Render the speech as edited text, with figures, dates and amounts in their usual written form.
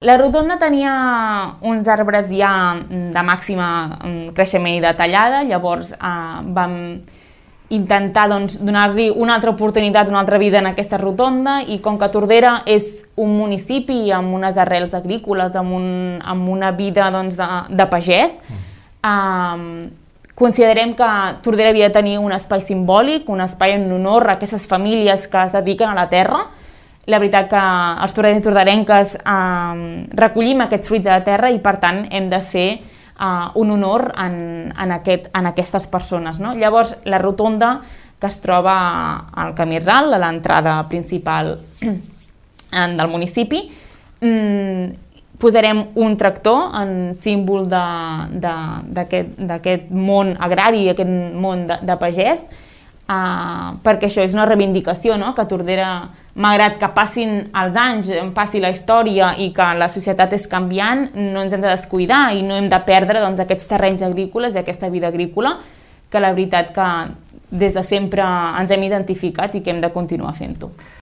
La rotonda tenia uns arbres ja de màxima creixement i de tallada, llavors vam intentar donar-li una altra oportunitat, una altra vida en aquesta rotonda, i com que Tordera és un municipi amb unes arrels agrícoles, amb una vida de pagès, considerem que Tordera havia de tenir un espai simbòlic, un espai en honor a aquestes famílies que es dediquen a la terra. La veritat que els torderencs i torderenques recollim aquests fruits de la terra i, per tant, hem de fer un honor en aquestes persones. Llavors, la rotonda, que es troba al camí ral, a l'entrada principal del municipi, posarem un tractor en símbol d'aquest món agrari, aquest món de pagès, perquè això és una reivindicació, que Tordera, malgrat que passin els anys, passi la història i que la societat és canviant, no ens hem de descuidar i no hem de perdre aquests terrenys agrícoles i aquesta vida agrícola, que la veritat que des de sempre ens hem identificat i que hem de continuar fent-ho.